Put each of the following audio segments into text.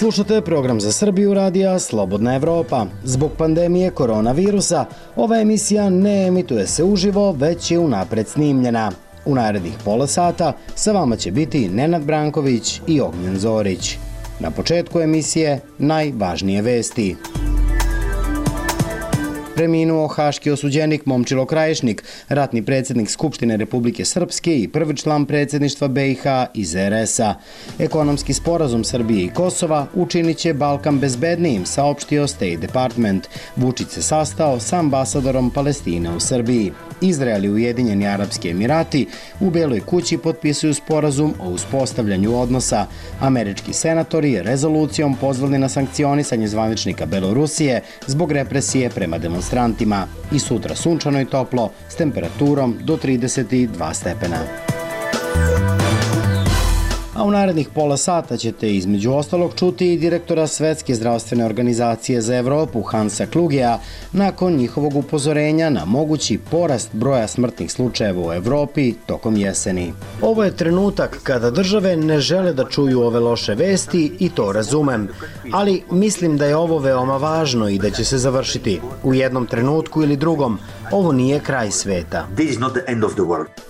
Slušate program za Srbiju radija Slobodna Evropa. Zbog pandemije koronavirusa, ova emisija ne emituje se uživo, već je unapred snimljena. U narednih pola sata sa vama će biti Nenad Branković i Ognjen Zorić. Na početku emisije najvažnije vesti. Preminuo haški osuđenik Momčilo Krajišnik, ratni predsjednik Skupštine Republike Srpske i prvi član predsjedništva BiH iz RS-a. Ekonomski sporazum Srbije i Kosova učinit će Balkan bezbednijim, saopštio State Department. Vučić se sastao sa ambasadorom Palestine u Srbiji. Izrael i Ujedinjeni Arapski Emirati u Beloj kući potpisuju sporazum o uspostavljanju odnosa. Američki senatori rezolucijom pozvali na sankcionisanje zvaničnika Belorusije zbog represije prema demonstrantima. I sutra sunčano i toplo s temperaturom do 32 stepena. A u narednih pola sata ćete između ostalog čuti i direktora Svetske zdravstvene organizacije za Evropu Hansa Klugea nakon njihovog upozorenja na mogući porast broja smrtnih slučajeva u Evropi tokom jeseni. Ovo je trenutak kada države ne žele da čuju ove loše vesti i to razumem, ali mislim da je ovo veoma važno i da će se završiti. U jednom trenutku ili drugom, ovo nije kraj sveta.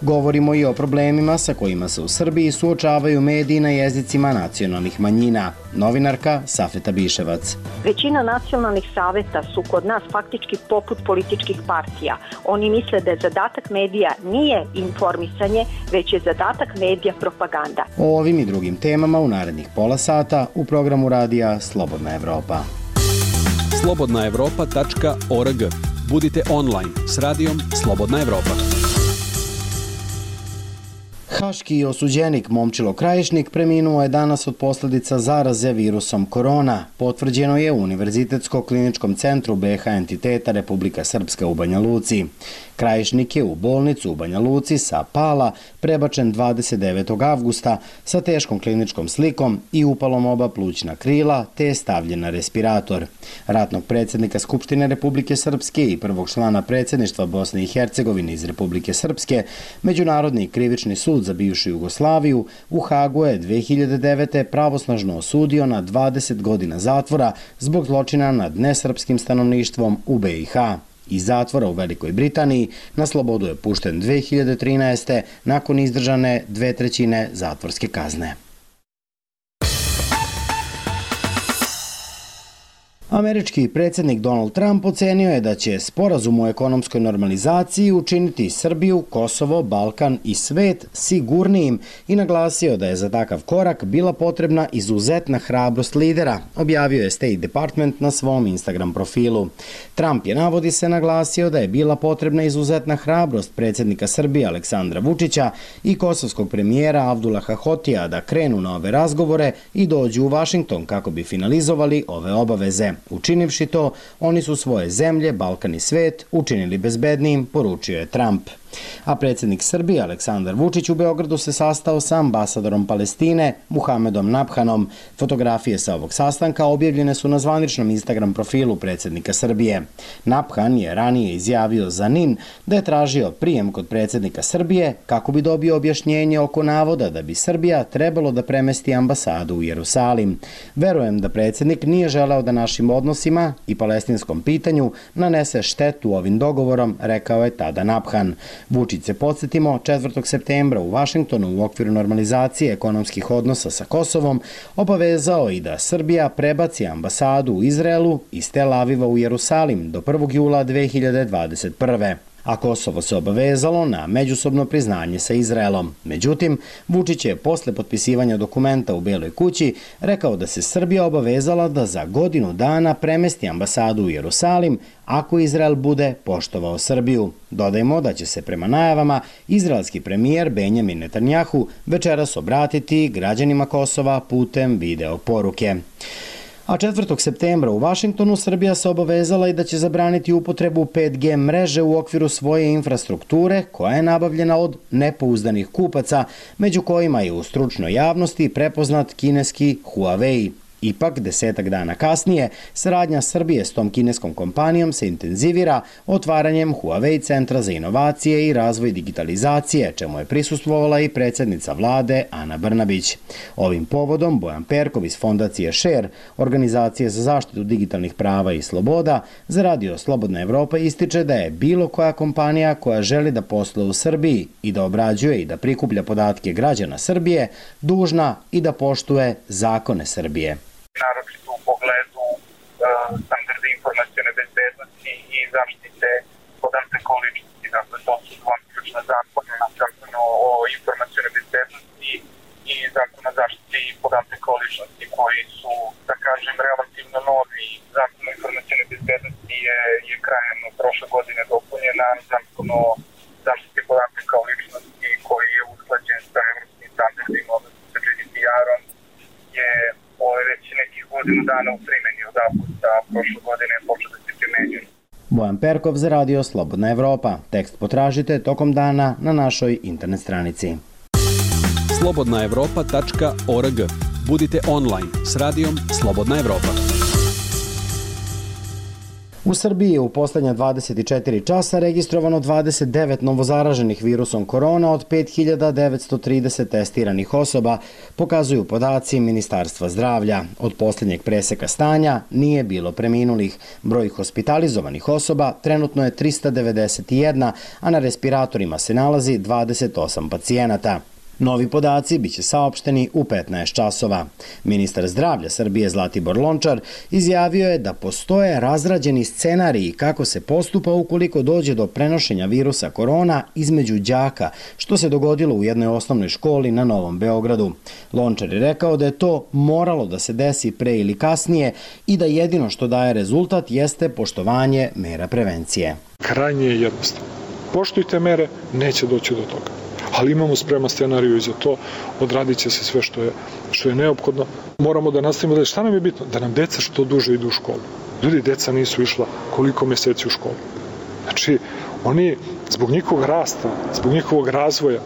Govorimo i o problemima sa kojima se u Srbiji suočavaju mediji na jezicima nacionalnih manjina. Novinarka Safeta Biševac. Većina nacionalnih saveta su kod nas faktički poput političkih partija. Oni misle da je zadatak medija nije informisanje, već je zadatak medija propaganda. O ovim i drugim temama u narednih pola sata u programu radija Slobodna Evropa. slobodnaevropa.org. Budite online s radijom Slobodna Evropa. Haški osuđenik Momčilo Krajišnik preminuo je danas od posljedica zaraze virusom korona. Potvrđeno je u Univerzitetsko-kliničkom centru BiH entiteta Republika Srpska u Banja Luci. Krajišnik je u bolnicu u Banja Luci sa Pala prebačen 29. avgusta sa teškom kliničkom slikom i upalom oba plućna krila, te je stavljen na respirator. Ratnog predsjednika Skupštine Republike Srpske i prvog člana predsjedništva Bosne i Hercegovine iz Republike Srpske, Međunarodni krivični sud za bivšu Jugoslaviju u Hagu je 2009. pravosnažno osudio na 20 godina zatvora zbog zločina nad nesrpskim stanovništvom u BiH. Iz zatvora u Velikoj Britaniji na slobodu je pušten 2013. nakon izdržane 2/3 zatvorske kazne. Američki predsjednik Donald Trump ocenio je da će sporazum o ekonomskoj normalizaciji učiniti Srbiju, Kosovo, Balkan i svet sigurnijim i naglasio da je za takav korak bila potrebna izuzetna hrabrost lidera, objavio je State Department na svom Instagram profilu. Trump je, navodi se, naglasio da je bila potrebna izuzetna hrabrost predsjednika Srbije Aleksandra Vučića i kosovskog premijera Avdullaha Hotija da krenu na ove razgovore i dođu u Vašington kako bi finalizovali ove obaveze. Učinivši to, oni su svoje zemlje, Balkan i svet učinili bezbednijim, poručio je Trump. A predsjednik Srbije Aleksandar Vučić u Beogradu se sastao sa ambasadorom Palestine Muhamedom Nabhanom. Fotografije sa ovog sastanka objavljene su na zvaničnom Instagram profilu predsjednika Srbije. Nabhan je ranije izjavio za NIN da je tražio prijem kod predsjednika Srbije kako bi dobio objašnjenje oko navoda da bi Srbija trebalo da premesti ambasadu u Jerusalim. Verujem da predsjednik nije želeo da našim odnosima i palestinskom pitanju nanese štetu ovim dogovorom, rekao je tada Nabhan. Vučić se, podsjetimo, 4. septembra u Vašingtonu u okviru normalizacije ekonomskih odnosa sa Kosovom obavezao i da Srbija prebaci ambasadu u Izraelu iz Tel Aviva u Jerusalim do 1. jula 2021. A Kosovo se obavezalo na međusobno priznanje sa Izraelom. Međutim, Vučić je posle potpisivanja dokumenta u Beloj kući rekao da se Srbija obavezala da za godinu dana premesti ambasadu u Jerusalim ako Izrael bude poštovao Srbiju. Dodajmo da će se prema najavama izraelski premijer Benjamin Netanjahu večeras obratiti građanima Kosova putem video poruke. A 4. septembra u Vašingtonu Srbija se obavezala i da će zabraniti upotrebu 5G mreže u okviru svoje infrastrukture koja je nabavljena od nepouzdanih kupaca, među kojima je u stručnoj javnosti prepoznat kineski Huawei. Ipak, 10 dana kasnije, saradnja Srbije s tom kineskom kompanijom se intenzivira otvaranjem Huawei centra za inovacije i razvoj digitalizacije, čemu je prisustvovala i predsjednica vlade Ana Brnabić. Ovim povodom Bojan Perkov iz fondacije Share, organizacije za zaštitu digitalnih prava i sloboda, za Radio Slobodna Evropa ističe da je bilo koja kompanija koja želi da posluje u Srbiji i da obrađuje i da prikuplja podatke građana Srbije, dužna i da poštuje zakone Srbije. Naročito u pogledu standarda informacione bezbednosti i zaštite podataka o ličnosti. Dakle, to su dva ključna zakona, Zakon o informacione bezbednosti i Zakon o zaštiti podataka o ličnosti, koji su, da kažem, relativno novi. Zakon o informacione bezbednosti je krajem prošle godine dopunjen, a Zakon o zaštiti podataka o ličnosti, koji je usklađen sa evropskim standardima, odnosno sa GDPR-om, je već nekih godinu dana u primjeni. Od avgusta prošle godine počeo da se primenjuje. Bojan Perkov za Radio Slobodna Evropa. Tekst potražite tokom dana na našoj internet stranici. slobodnaevropa.org. Budite online s Radijom Slobodna Evropa. U Srbiji je u poslednja 24 časa registrovano 29 novozaraženih virusom korona od 5930 testiranih osoba, pokazuju podaci Ministarstva zdravlja. Od posljednjeg preseka stanja nije bilo preminulih. Broj hospitalizovanih osoba trenutno je 391, a na respiratorima se nalazi 28 pacijenata. Novi podaci biće saopšteni u 15 časova. Ministar zdravlja Srbije Zlatibor Lončar izjavio je da postoje razrađeni scenariji kako se postupa ukoliko dođe do prenošenja virusa korona između đaka, što se dogodilo u jednoj osnovnoj školi na Novom Beogradu. Lončar je rekao da je to moralo da se desi pre ili kasnije i da jedino što daje rezultat jeste poštovanje mera prevencije. Krajnje je jednostavno. Poštujte mere, neće doći do toga. Ali imamo spreman scenariju i za to, odradit će se sve što je neophodno. Moramo da nastavimo da šta nam je bitno? Da nam deca što duže idu u školu. Ljudi, deca nisu išla koliko meseci u školu. Znači, oni zbog njihovog rasta, zbog njihovog razvoja,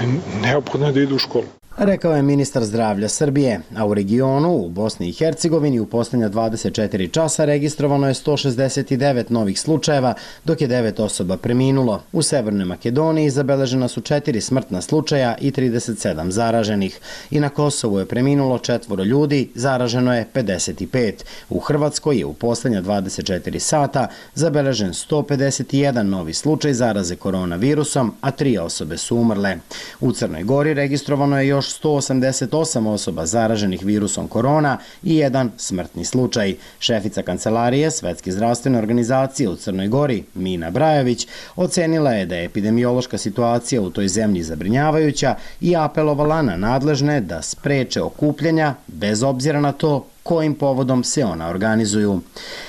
oni neophodno je da idu u školu. Rekao je ministar zdravlja Srbije, a u regionu, u Bosni i Hercegovini, u posljednja 24 časa registrovano je 169 novih slučajeva, dok je 9 osoba preminulo. U Severnoj Makedoniji zabeležena su 4 smrtna slučaja i 37 zaraženih. I na Kosovu je preminulo 4 ljudi, zaraženo je 55. U Hrvatskoj je u posljednja 24 sata zabeležen 151 novi slučaj zaraze koronavirusom, a 3 osobe su umrle. U Crnoj Gori registrovano je još 188 osoba zaraženih virusom korona i 1 smrtni slučaj. Šefica kancelarije Svetske zdravstvene organizacije u Crnoj Gori, Mina Brajović, ocenila je da je epidemiološka situacija u toj zemlji zabrinjavajuća i apelovala na nadležne da spreče okupljanja bez obzira na to kojim povodom se ona organizuju.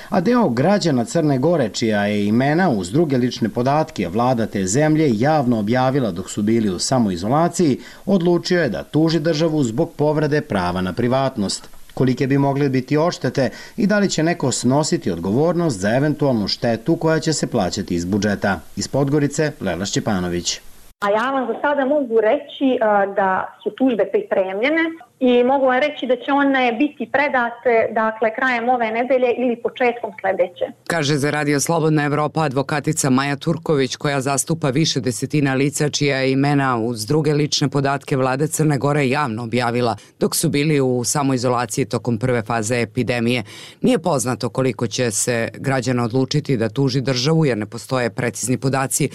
A deo građana Crne Gore, čija je imena uz druge lične podatke vlada te zemlje javno objavila dok su bili u samoizolaciji, odlučio je da tuži državu zbog povrede prava na privatnost. Kolike bi mogle biti odštete i da li će neko snositi odgovornost za eventualnu štetu koja će se plaćati iz budžeta. Iz Podgorice, Lela Šćepanović. A ja vam za sada mogu reći da su tužbe pripremljene i mogu vam reći da će one biti predate krajem ove nedelje ili početkom sledeće. Kaže za Radio Slobodna Evropa advokatica Maja Turković, koja zastupa više desetina lica čija je imena uz druge lične podatke vlade Crne Gore javno objavila dok su bili u samoizolaciji tokom prve faze epidemije. Nije poznato koliko će se građana odlučiti da tuži državu jer ne postoje precizni podaci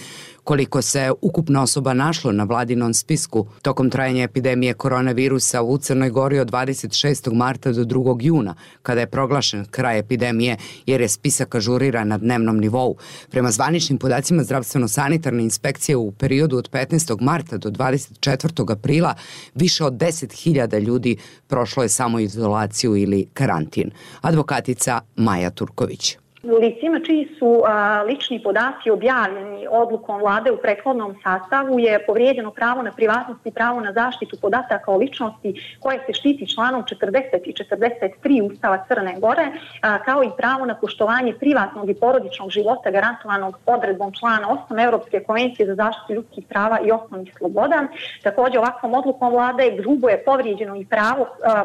koliko se ukupno osoba našlo na vladinom spisku tokom trajanja epidemije koronavirusa u Crnoj Gori od 26. marta do 2. juna, kada je proglašen kraj epidemije, jer je spisak ažuriran na dnevnom nivou. Prema zvaničnim podacima zdravstveno-sanitarne inspekcije u periodu od 15. marta do 24. aprila više od 10.000 ljudi prošlo je samoizolaciju ili karantin. Advokatica Maja Turković. Licima čiji su lični podaci objavljeni odlukom vlade u prethodnom sastavu je povrijeđeno pravo na privatnost i pravo na zaštitu podataka o ličnosti koje se štiti članom 40 i 43 Ustava Crne Gore, kao i pravo na poštovanje privatnog i porodičnog života garantovanog odredbom člana 8 Europske konvencije za zaštitu ljudskih prava i osnovnih sloboda. Također ovakvom odlukom vlade grubo je povrijeđeno i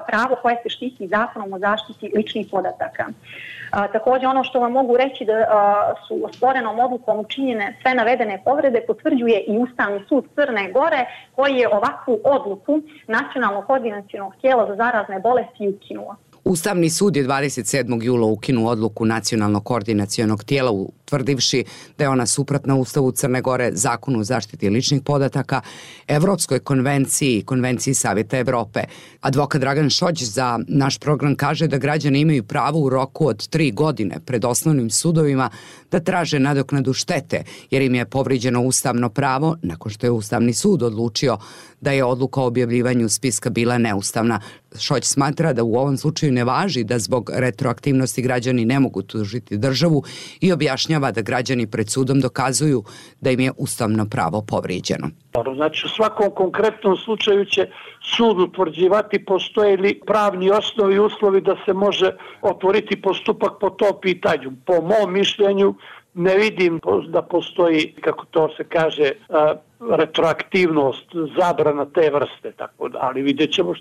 pravo koje se štiti zakonom o zaštiti ličnih podataka. Također ono što vam mogu reći da su osporenom odlukom učinjene sve navedene povrede potvrđuje i Ustavni sud Crne Gore koji je ovakvu odluku Nacionalnog koordinacionog tijela za zarazne bolesti ukinuo. Ustavni sud je 27. jula ukinuo odluku Nacionalnog koordinacionog tijela utvrdivši da je ona suprotna Ustavu Crne Gore, Zakonu o zaštiti ličnih podataka, Evropskoj konvenciji i Konvenciji Savjeta Evrope. Advokat Dragan Šođ za naš program kaže da građani imaju pravo u roku od 3 godine pred osnovnim sudovima da traže nadoknadu štete, jer im je povrijeđeno ustavno pravo nakon što je Ustavni sud odlučio da je odluka o objavljivanju spiska bila neustavna. Šođ smatra da u ovom slučaju ne važi da zbog retroaktivnosti građani ne mogu tužiti državu i objašnjava da građani pred sudom dokazuju da im je ustavno pravo povrijeđeno. Znači u svakom konkretnom slučaju će sud utvrđivati postoje li pravni osnovi i uslovi da se može otvoriti postupak po tom pitanju. Po mom mišljenju ne vidim da postoji, kako to se kaže, retroaktivnost, zabrana te vrste, tako da, ali vidjet ćemo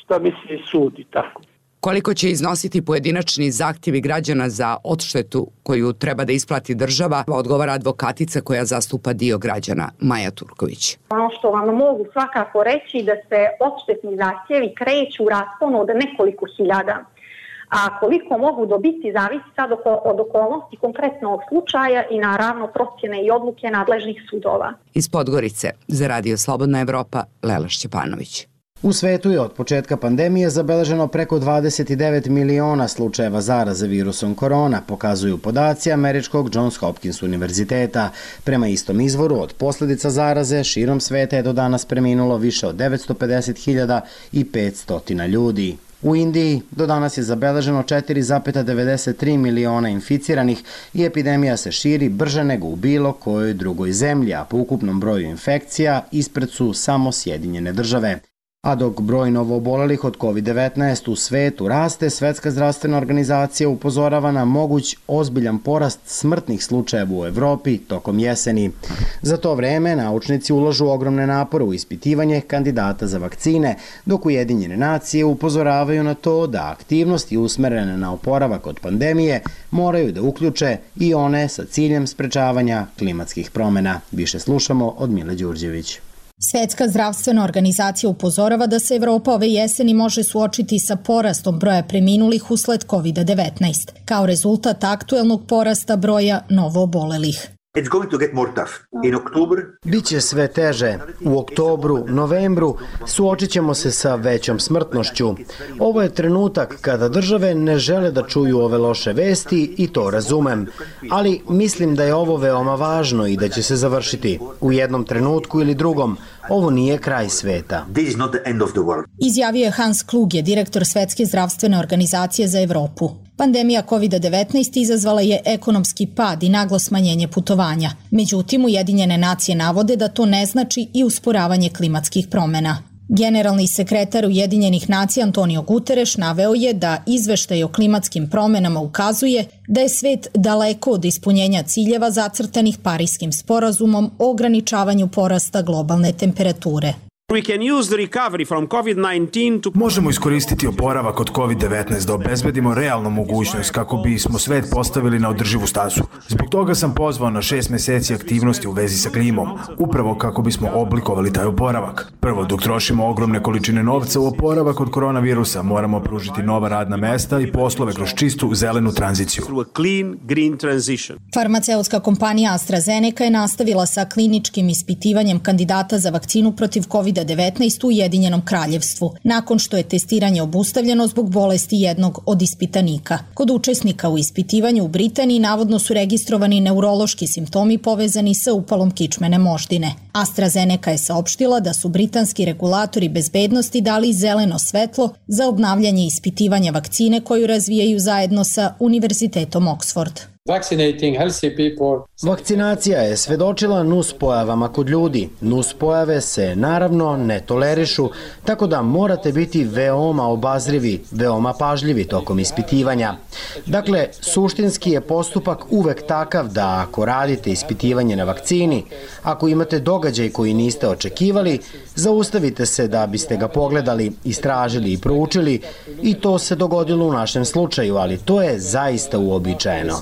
šta misli sud i tako. Koliko će iznositi pojedinačni zahtjevi građana za odštetu koju treba da isplati država, odgovara advokatica koja zastupa dio građana, Maja Turković. Ono što vam mogu svakako reći da se odštetni zahtjevi kreću u rasponu od nekoliko hiljada. A koliko mogu dobiti zavisi sad od okolnosti konkretnog slučaja i naravno procjene i odluke nadležnih sudova. Iz Podgorice za Radio Slobodna Evropa, Lela Šćepanović. U svetu je od početka pandemije zabeleženo preko 29 miliona slučajeva zaraze virusom korona, pokazuju podaci američkog Johns Hopkins univerziteta. Prema istom izvoru, od posljedica zaraze širom sveta je do danas preminulo više od 950.500 ljudi. U Indiji do danas je zabeleženo 4,93 miliona inficiranih i epidemija se širi brže nego u bilo kojoj drugoj zemlji, a po ukupnom broju infekcija ispred su samo Sjedinjene Države. A dok broj novoobolelih od COVID-19 u svetu raste, Svetska zdravstvena organizacija upozorava na moguć ozbiljan porast smrtnih slučajeva u Evropi tokom jeseni. Za to vreme naučnici ulažu ogromne napore u ispitivanje kandidata za vakcine, dok Ujedinjene nacije upozoravaju na to da aktivnosti usmerene na oporavak od pandemije moraju da uključe i one sa ciljem sprečavanja klimatskih promjena. Više slušamo od Mile Đurđević. Svetska zdravstvena organizacija upozorava da se Evropa ove jeseni može suočiti sa porastom broja preminulih usled COVID-19, kao rezultat aktuelnog porasta broja novoobolelih. Biće sve teže. U oktobru, novembru suočit ćemo se sa većom smrtnošću. Ovo je trenutak kada države ne žele da čuju ove loše vesti i to razumem. Ali mislim da je ovo veoma važno i da će se završiti. U jednom trenutku ili drugom. Ovo nije kraj sveta. Izjavio je Hans Kluge, direktor Svetske zdravstvene organizacije za Evropu. Pandemija COVID-19 izazvala je ekonomski pad i naglo smanjenje putovanja. Međutim, Ujedinjene nacije navode da to ne znači i usporavanje klimatskih promjena. Generalni sekretar Ujedinjenih nacija Antonio Guterres naveo je da izveštaj o klimatskim promjenama ukazuje da je svet daleko od ispunjenja ciljeva zacrtanih Pariskim sporazumom o ograničavanju porasta globalne temperature. Možemo iskoristiti oporavak od COVID-19 da obezbedimo realnu mogućnost kako bismo svet postavili na održivu stazu. Zbog toga sam pozvao na 6 meseci aktivnosti u vezi sa klimom, upravo kako bismo oblikovali taj oporavak. Prvo, dok trošimo ogromne količine novca u oporavak od koronavirusa, moramo pružiti nova radna mesta i poslove kroz čistu zelenu tranziciju. Farmaceutska kompanija AstraZeneca je nastavila sa kliničkim ispitivanjem kandidata za vakcinu protiv COVID-19 COVID-19 u Ujedinjenom Kraljevstvu, nakon što je testiranje obustavljeno zbog bolesti jednog od ispitanika. Kod učesnika u ispitivanju u Britaniji navodno su registrovani neurološki simptomi povezani sa upalom kičmene moždine. AstraZeneca je saopštila da su britanski regulatori bezbednosti dali zeleno svetlo za obnavljanje ispitivanja vakcine koju razvijaju zajedno sa Univerzitetom Oxford. Vakcinacija je svedočila nuspojavama kod ljudi. Nuspojave se naravno ne tolerišu, tako da morate biti veoma obazrivi, veoma pažljivi tokom ispitivanja. Dakle, suštinski je postupak uvek takav da ako radite ispitivanje na vakcini, ako imate događaj koji niste očekivali, zaustavite se da biste ga pogledali, istražili i proučili i to se dogodilo u našem slučaju, ali to je zaista uobičajeno.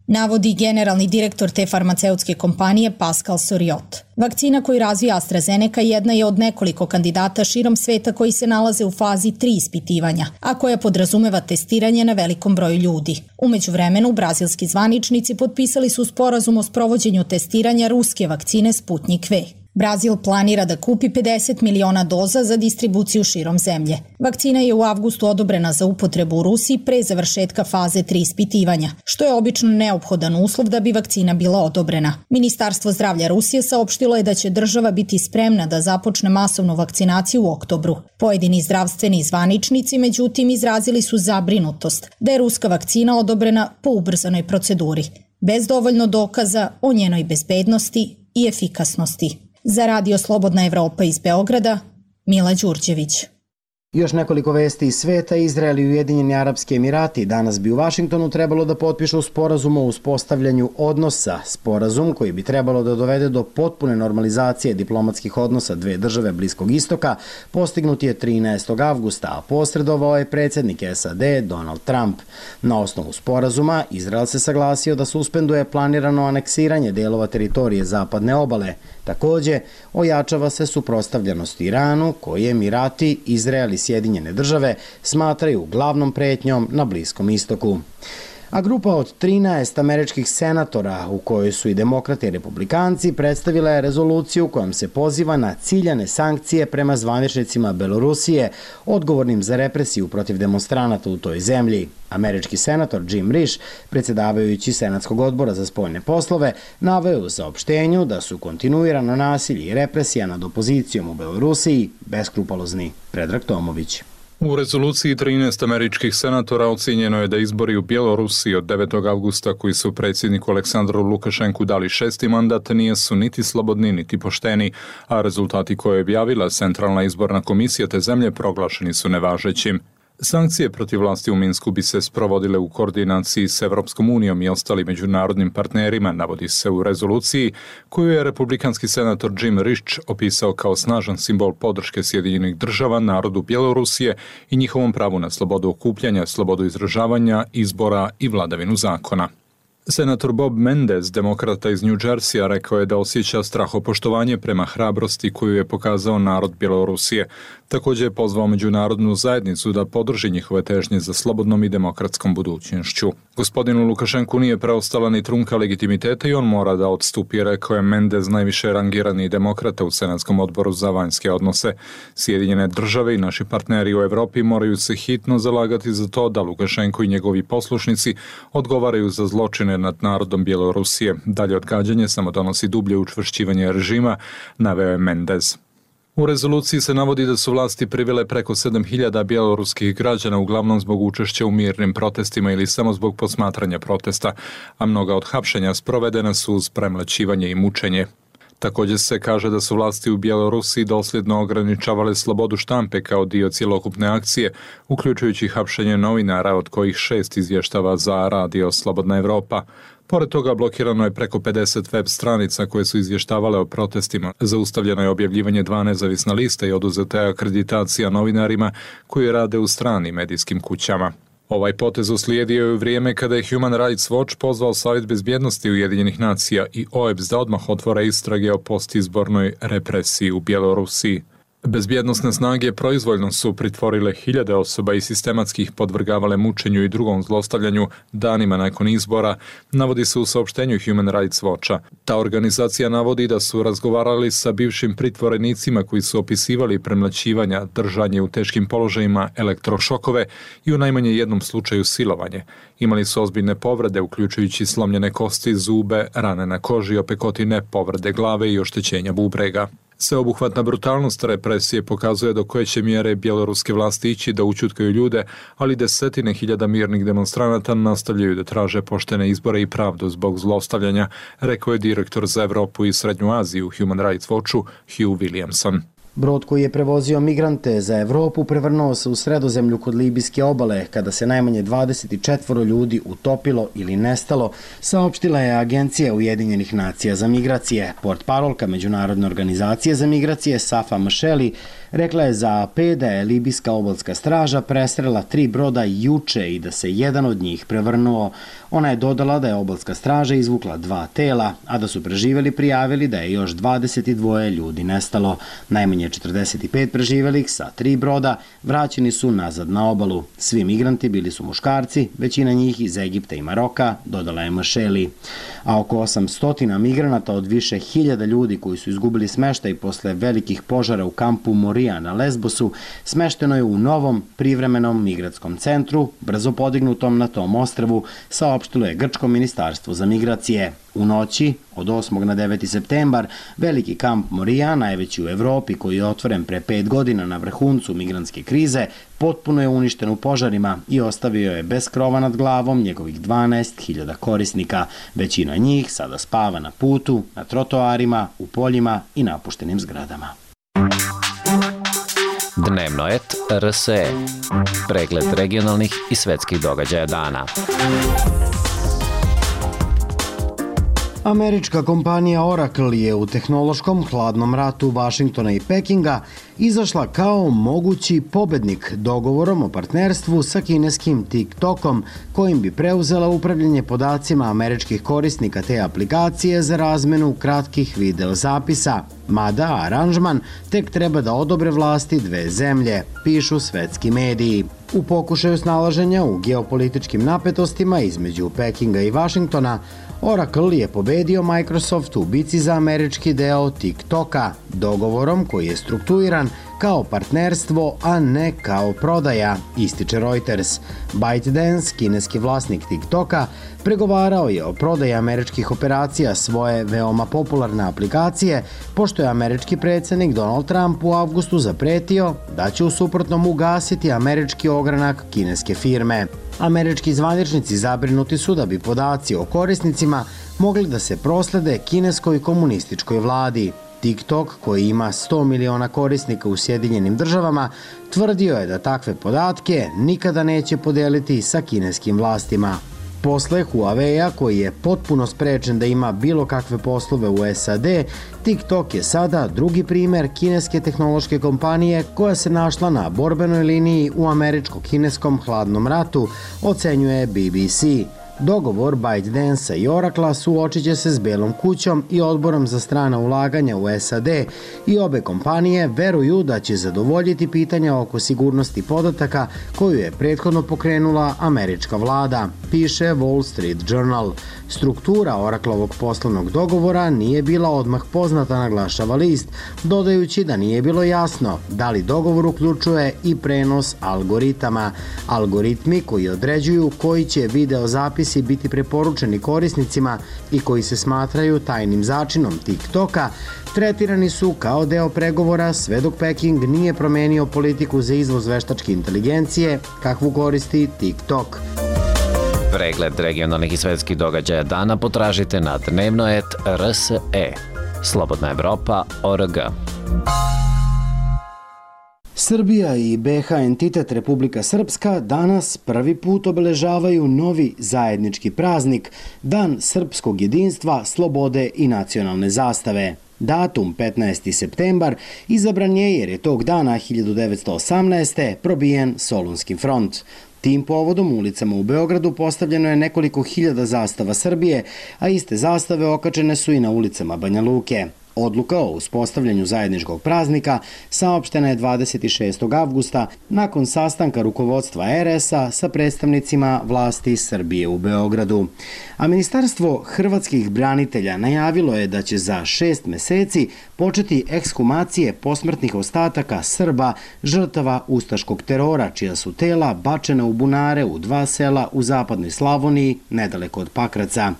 Navodi generalni direktor te farmaceutske kompanije Pascal Soriot. Vakcina koju razvija AstraZeneca jedna je od nekoliko kandidata širom sveta koji se nalaze u fazi 3 ispitivanja, a koja podrazumeva testiranje na velikom broju ljudi. U međuvremenu, brazilski zvaničnici potpisali su sporazum o sprovođenju testiranja ruske vakcine Sputnik V. Brazil planira da kupi 50 miliona doza za distribuciju širom zemlje. Vakcina je u avgustu odobrena za upotrebu u Rusiji pre završetka faze 3 ispitivanja, što je obično neophodan uslov da bi vakcina bila odobrena. Ministarstvo zdravlja Rusije saopštilo je da će država biti spremna da započne masovnu vakcinaciju u oktobru. Pojedini zdravstveni zvaničnici, međutim, izrazili su zabrinutost da je ruska vakcina odobrena po ubrzanoj proceduri, bez dovoljno dokaza o njenoj bezbednosti i efikasnosti. Za Radio Slobodna Evropa iz Beograda, Mila Đurđević. Još nekoliko vesti iz sveta. Izrael i Ujedinjeni Arapski Emirati danas bi u Vašingtonu trebalo da potpišu sporazum o uspostavljanju odnosa. Sporazum koji bi trebalo da dovede do potpune normalizacije diplomatskih odnosa dve države Bliskog istoka postignut je 13. avgusta, a posredovao je predsjednik SAD Donald Trump. Na osnovu sporazuma Izrael se saglasio da suspenduje planirano aneksiranje delova teritorije zapadne obale. Takođe, ojačava se suprotstavljenost Iranu, koje Emirati, Izrael i Sjedinjene države smatraju glavnom pretnjom na Bliskom istoku. A grupa od 13 američkih senatora, u kojoj su i demokrate i republikanci, predstavila je rezoluciju kojom se poziva na ciljane sankcije prema zvaničnicima Belorusije, odgovornim za represiju protiv demonstranata u toj zemlji. Američki senator Jim Risch, predsjedavajući Senatskog odbora za spoljne poslove, naveo u saopštenju da su kontinuirano nasilje i represija nad opozicijom u Belorusiji beskrupalozni. Predrag Tomović. U rezoluciji 13 američkih senatora ocjenjeno je da izbori u Bjelorusiji od 9. avgusta koji su predsjedniku Aleksandru Lukašenku dali 6. mandat nisu niti slobodni niti pošteni, a rezultati koje je objavila Centralna izborna komisija te zemlje proglašeni su nevažećim. Sankcije protiv vlasti u Minsku bi se sprovodile u koordinaciji s Evropskom unijom i ostalim međunarodnim partnerima, navodi se u rezoluciji, koju je republikanski senator Jim Risch opisao kao snažan simbol podrške Sjedinjenih država narodu Bjelorusije i njihovom pravu na slobodu okupljanja, slobodu izražavanja, izbora i vladavinu zakona. Senator Bob Mendez, demokrata iz New Jerseya, rekao je da osjeća strahopoštovanje prema hrabrosti koju je pokazao narod Bjelorusije. Također je pozvao međunarodnu zajednicu da podrži njihove težnje za slobodnom i demokratskom budućnošću. Gospodinu Lukašenku nije preostala ni trunka legitimiteta i on mora da odstupi, rekao je Mendez, najviše rangirani demokrata u Senatskom odboru za vanjske odnose. Sjedinjene države i naši partneri u Evropi moraju se hitno zalagati za to da Lukašenko i njegovi poslušnici odgovaraju za zločine nad narodom Bjelorusije. Dalje odgađanje samo donosi dublje učvršćivanje režima, naveo je Mendez. U rezoluciji se navodi da su vlasti privele preko 7.000 bjeloruskih građana uglavnom zbog učešća u mirnim protestima ili samo zbog posmatranja protesta, a mnoga od hapšenja sprovedena su uz premlaćivanje i mučenje. Također se kaže da su vlasti u Bjelorusiji dosljedno ograničavale slobodu štampe kao dio cjelokupne akcije, uključujući hapšenje novinara, od kojih 6 izvještava za Radio Slobodna Evropa. Pored toga blokirano je preko 50 web stranica koje su izvještavale o protestima. Zaustavljeno je objavljivanje 2 nezavisna lista i oduzeta je akreditacija novinarima koji rade u stranim medijskim kućama. Ovaj potez uslijedio je u vrijeme kada je Human Rights Watch pozvao Savjet bezbjednosti Ujedinjenih nacija i OEBS da odmah otvore istrage o postizbornoj represiji u Bjelorusiji. Bezbjednosne snage proizvoljno su pritvorile hiljade osoba i sistematskih podvrgavale mučenju i drugom zlostavljanju danima nakon izbora, navodi se u saopštenju Human Rights Watcha. Ta organizacija navodi da su razgovarali sa bivšim pritvorenicima koji su opisivali premlaćivanja, držanje u teškim položajima, elektrošokove i u najmanje jednom slučaju silovanje. Imali su ozbiljne povrede, uključujući slomljene kosti, zube, rane na koži, opekotine, povrede glave i oštećenja bubrega. Sveobuhvatna brutalnost represije pokazuje do koje će mjere bjeloruske vlasti ići da ućutkaju ljude, ali desetine hiljada mirnih demonstranata nastavljaju da traže poštene izbore i pravdu zbog zlostavljanja, rekao je direktor za Evropu i Srednju Aziju Human Rights Watchu Hugh Williamson. Brod koji je prevozio migrante za Evropu prevrnuo se u Sredozemlju kod libijske obale kada se najmanje 24 ljudi utopilo ili nestalo, saopštila je Agencija Ujedinjenih nacija za migracije. Portparolka Međunarodne organizacije za migracije Safa Mšeli rekla je za AP da je libijska obalska straža presrela 3 broda juče i da se jedan od njih prevrnuo. Ona je dodala da je obalska straža izvukla 2 tela, a da su preživeli prijavili da je još 22 ljudi nestalo. Najmanje 45 preživelih sa 3 broda vraćeni su nazad na obalu. Svi migranti bili su muškarci, većina njih iz Egipta i Maroka, dodala je Mšeli. A oko 800 migranata od više hiljada ljudi koji su izgubili smeštaj posle velikih požara u kampu Morija na Lesbosu smešteno je u novom privremenom migratskom centru, brzo podignutom na tom ostrvu, saopštilo je Grčko ministarstvo za migracije. U noći, od 8. na 9. septembar, veliki kamp Morija, najveći u Evropi koji je otvoren pre 5 godina na vrhuncu migrantske krize, potpuno je uništen u požarima i ostavio je bez krova nad glavom njegovih 12.000 korisnika. Većina njih sada spava na putu, na trotoarima, u poljima i napuštenim zgradama. Dnevno et RSE. Pregled regionalnih i svetskih događaja dana. Američka kompanija Oracle je u tehnološkom hladnom ratu Vašingtona i Pekinga izašla kao mogući pobednik dogovorom o partnerstvu sa kineskim TikTokom, kojim bi preuzela upravljanje podacima američkih korisnika te aplikacije za razmenu kratkih videozapisa. Mada aranžman tek treba da odobre vlasti dve zemlje, pišu svetski mediji. U pokušaju snalaženja u geopolitičkim napetostima između Pekinga i Vašingtona, Oracle je pobedio Microsoft u bici za američki deo TikToka, dogovorom koji je strukturiran kao partnerstvo, a ne kao prodaja, ističe Reuters. ByteDance, kineski vlasnik TikToka, pregovarao je o prodaji američkih operacija svoje veoma popularne aplikacije, pošto je američki predsjednik Donald Trump u avgustu zapretio da će u suprotnom ugasiti američki ogranak kineske firme. Američki zvaničnici zabrinuti su da bi podaci o korisnicima mogli da se proslede kineskoj komunističkoj vladi. TikTok, koji ima 100 miliona korisnika u Sjedinjenim državama, tvrdio je da takve podatke nikada neće podeliti sa kineskim vlastima. Posle Huawei-a, koji je potpuno sprečen da ima bilo kakve poslove u SAD, TikTok je sada drugi primer kineske tehnološke kompanije koja se našla na borbenoj liniji u američko-kineskom hladnom ratu, ocenjuje BBC. Dogovor ByteDance i Oracle suočit će se s Belom kućom i odborom za strana ulaganja u SAD i obe kompanije veruju da će zadovoljiti pitanja oko sigurnosti podataka koju je prethodno pokrenula američka vlada, piše Wall Street Journal. Struktura Oracleovog poslovnog dogovora nije bila odmah poznata, naglašava list, dodajući da nije bilo jasno da li dogovor uključuje i prenos algoritama. Algoritmi koji određuju koji će videozapisi biti preporučeni korisnicima i koji se smatraju tajnim začinom TikToka, tretirani su kao deo pregovora sve dok Peking nije promenio politiku za izvoz veštačke inteligencije kakvu koristi TikTok. Pregled regionalnih i svetskih događaja dana potražite na dnevno.rs.e. Slobodna Evropa.org. Srbija i BiH entitet Republika Srpska danas prvi put obeležavaju novi zajednički praznik, Dan srpskog jedinstva, slobode i nacionalne zastave. Datum 15. septembar izabran je jer je tog dana 1918. probijen Solunski front. Tim povodom u ulicama u Beogradu postavljeno je nekoliko hiljada zastava Srbije, a iste zastave okačene su i na ulicama Banja Luke. Odluka o uspostavljanju zajedničkog praznika saopštena je 26. avgusta nakon sastanka rukovodstva RS-a sa predstavnicima vlasti Srbije u Beogradu. A Ministarstvo hrvatskih branitelja najavilo je da će za 6 meseci početi ekshumacije posmrtnih ostataka Srba žrtava ustaškog terora, čija su tela bačena u bunare u 2 sela u zapadnoj Slavoniji, nedaleko od Pakraca.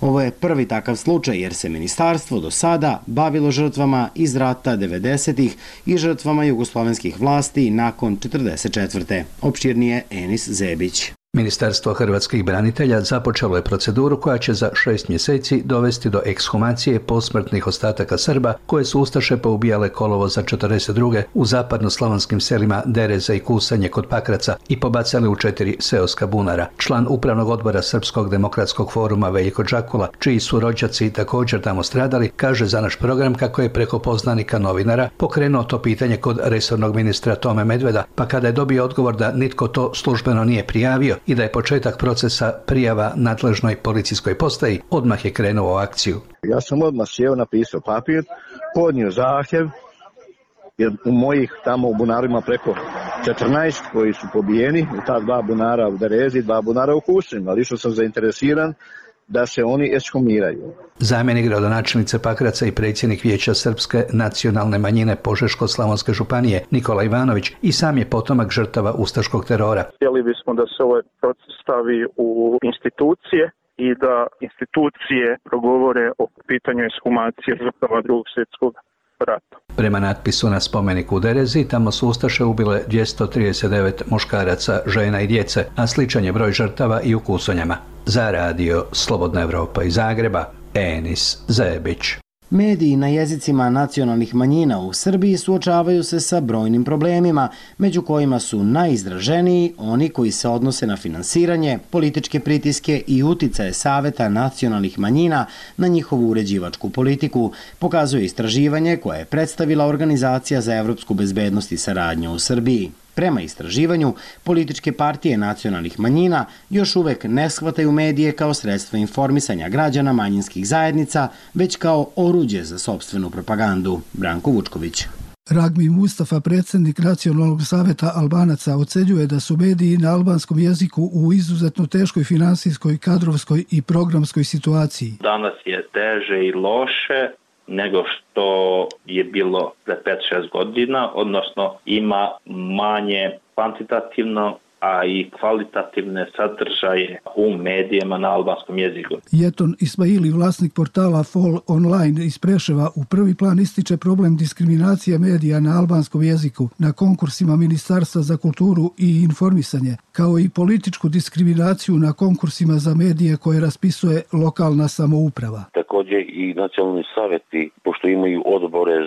Ovo je prvi takav slučaj jer se ministarstvo do sada bavilo žrtvama iz rata 90-ih i žrtvama jugoslovenskih vlasti nakon 44. Opširnije Enis Zebić. Ministarstvo hrvatskih branitelja započelo je proceduru koja će za 6 mjeseci dovesti do ekshumacije posmrtnih ostataka Srba koje su ustaše poubijale kolovoza 42. u zapadnoslavonskim selima Dereza i Kusanje kod Pakraca i pobacali u 4 seoska bunara. Član upravnog odbora Srpskog demokratskog foruma Veljko Đakula, čiji su rođaci također tamo stradali, kaže za naš program kako je preko poznanika novinara pokrenuo to pitanje kod resornog ministra Tome Medveda, pa kada je dobio odgovor da nitko to službeno nije prijavio i da je početak procesa prijava nadležnoj policijskoj postaji, odmah je krenuo u akciju. Ja sam odmah sjeo, napisao papir, podnio zahtjev, jer u mojih tamo u bunarima preko 14 koji su pobijeni, u ta 2 bunara u Derezi, 2 bunara u Kusanju, ali što sam zainteresiran da se oni ekshumiraju. Zamjenik gradonačelnice Pakraca i predsjednik Vijeća srpske nacionalne manjine Požeško-slavonske županije Nikola Ivanović i sam je potomak žrtava ustaškog terora. Htjeli bismo da se ovaj proces stavi u institucije i da institucije progovore o pitanju ekshumacije žrtava Drugog svjetskog rata. Prema natpisu na spomeniku u Derezi, tamo su ustaše ubile 239 muškaraca, žena i djece, a sličan je broj žrtava i u Kusonjama. Za radio Slobodna Evropa iz Zagreba, Enis Zebić. Mediji na jezicima nacionalnih manjina u Srbiji suočavaju se sa brojnim problemima, među kojima su najizraženiji oni koji se odnose na finansiranje, političke pritiske i uticaje Saveta nacionalnih manjina na njihovu uređivačku politiku, pokazuje istraživanje koje je predstavila Organizacija za evropsku bezbednost i saradnju u Srbiji. Prema istraživanju, političke partije nacionalnih manjina još uvek ne shvataju medije kao sredstvo informisanja građana manjinskih zajednica, već kao oruđe za sopstvenu propagandu. Branko Vučković. Ragmi Mustafa, predsjednik Nacionalnog saveta Albanaca, ocenjuje da su mediji na albanskom jeziku u izuzetno teškoj finansijskoj, kadrovskoj i programskoj situaciji. Danas je teže i loše nego što je bilo pre 5-6 godina, odnosno ima manje kvantitativno, a i kvalitativne sadržaje u medijima na albanskom jeziku. Jeton Ismaili, vlasnik portala Fall Online iz Preševa, u prvi plan ističe problem diskriminacije medija na albanskom jeziku na konkursima Ministarstva za kulturu i informisanje, kao i političku diskriminaciju na konkursima za medije koje raspisuje lokalna samouprava. Također i nacionalni savjeti, pošto imaju odbore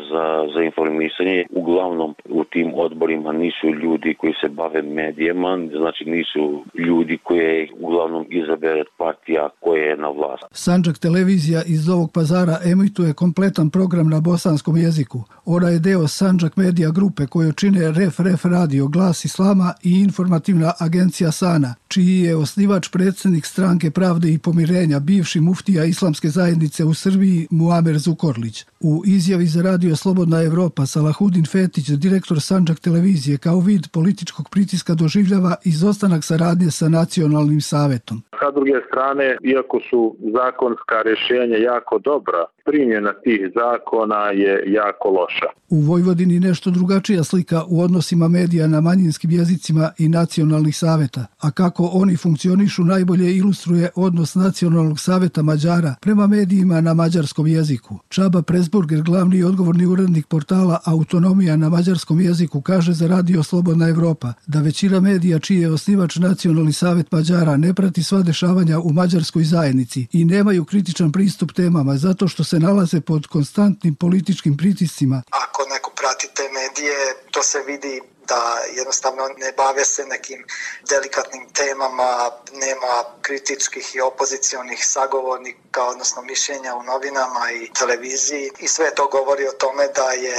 za informisanje, uglavnom u tim odborima nisu ljudi koji se bave medijama, znači nisu ljudi koje uglavnom izabere partija koja je na vlasti. Sandžak televizija iz Novog Pazara emituje kompletan program na bosanskom jeziku. Ona je deo Sandžak Medija grupe koju čine Ref radio, Glas Islama i informativna agencija Sana, čiji je osnivač predsjednik Stranke pravde i pomirenja, bivši muftija Islamske zajednice u Srbiji Muamer Zukorlić. U izjavi za radio Slobodna Evropa Salahudin Fetić, direktor Sandžak televizije, kao vid političkog pritiska doživljava izostanak saradnje sa nacionalnim savetom. Sa druge strane, iako su zakonska rješenja jako dobra, primjena tih zakona je jako loša. U Vojvodini nešto drugačija slika u odnosima medija na manjinskim jezicima i nacionalnih saveta, a kako oni funkcionišu najbolje ilustruje odnos Nacionalnog saveta Mađara prema medijima na mađarskom jeziku. Čaba Presburger, glavni i odgovorni urednik portala Autonomija na mađarskom jeziku, kaže za radio Slobodna Evropa da većina medija čiji je osnivač Nacionalni savet Mađara ne prati sva dešavanja u mađarskoj zajednici i nemaju kritičan pristup temama zato što se nalaze pod konstantnim političkim pritiscima. Ako neko pratite medije, to se vidi da jednostavno ne bave se nekim delikatnim temama, nema kritičkih i opozicionih sagovornika, odnosno mišljenja u novinama i televiziji i sve to govori o tome da je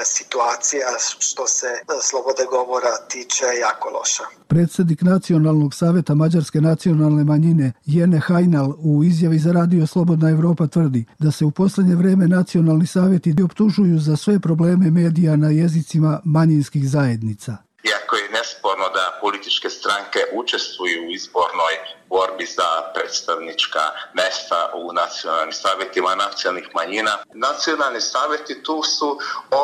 situacija što se slobode govora tiče jako loša. Predsjednik Nacionalnog saveta Mađarske nacionalne manjine Jene Hajnal u izjavi za Radio Slobodna Evropa tvrdi da se u posljednje vreme nacionalni savjeti optužuju za sve probleme medija na jezicima manjinskih zajednica. Iako je nesporno da političke stranke učestvuju u izbornoj borbi za predstavnička mesta u nacionalnim savjetima nacionalnih manjina, nacionalni savjeti tu su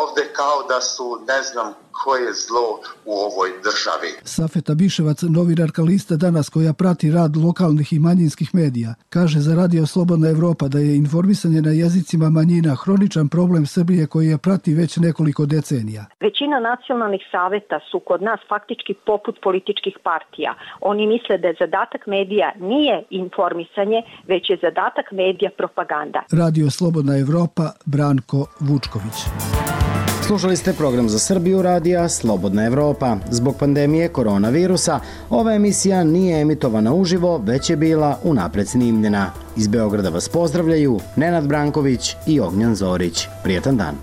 ovdje kao da su ne znam koje zlo u ovoj državi. Safeta Biševac, novinarka lista Danas koja prati rad lokalnih i manjinskih medija, kaže za Radio Slobodna Evropa da je informisanje na jezicima manjina hroničan problem Srbije koji je prati već nekoliko decenija. Većina nacionalnih saveta su kod nas faktički poput političkih partija. Oni misle da je zadatak medija nije informisanje, već je zadatak medija propaganda. Radio Slobodna Evropa, Branko Vučković. Slušali ste program za Srbiju radija Slobodna Evropa. Zbog pandemije koronavirusa, ova emisija nije emitovana uživo, već je bila unapred snimljena. Iz Beograda vas pozdravljaju Nenad Branković i Ognjan Zorić. Prijetan dan.